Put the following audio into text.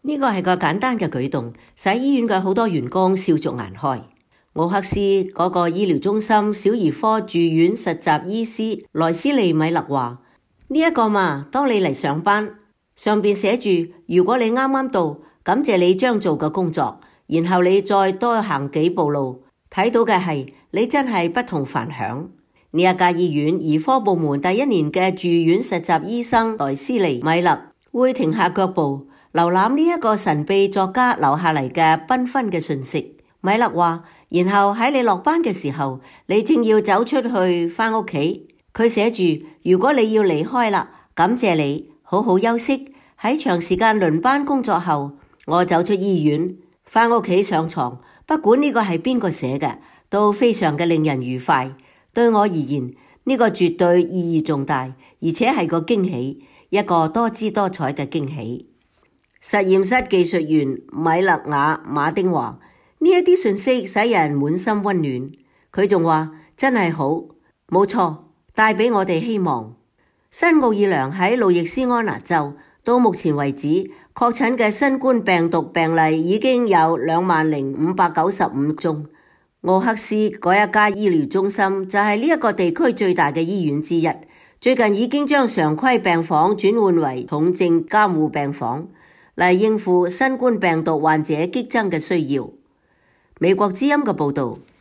呢個係個簡單嘅舉動，使醫院嘅好多員工笑逐顏開。奧克斯嗰個醫療中心小兒科住院實習醫師萊斯利米勒話：呢一個嘛，當你嚟上班，上邊寫住如果你啱啱到，感謝你將做嘅工作，然後你再多行幾步路，睇到嘅係你真係不同凡響。呢一家醫院兒科部門第一年嘅住院實習醫生萊斯利米勒會停下腳步，瀏覽呢一個神秘作家留下嚟嘅繽紛嘅訊息。米勒話，然後喺你落班嘅時候，你正要走出去返屋企，佢寫住如果你要離開啦，感謝你，好好休息。喺長時間輪班工作後，我走出醫院返屋企上床，不管呢個係邊個寫嘅，都非常嘅令人愉快。對我而言，呢個絕對意義重大，而且係個驚喜，一個多姿多彩嘅驚喜。實驗室技術員米勒雅馬丁話：呢一啲訊息使人滿心溫暖。佢仲話：真係好，冇錯，帶俾我哋希望。新奧爾良喺路易斯安那州，到目前為止確診嘅新冠病毒病例已經有20,595宗。奧克斯嗰一家醫療中心就係呢一個地區最大嘅醫院之一，最近已經將常規病房轉換為重症監護病房，嚟應付新冠病毒患者激增嘅需要。美國之音嘅報道。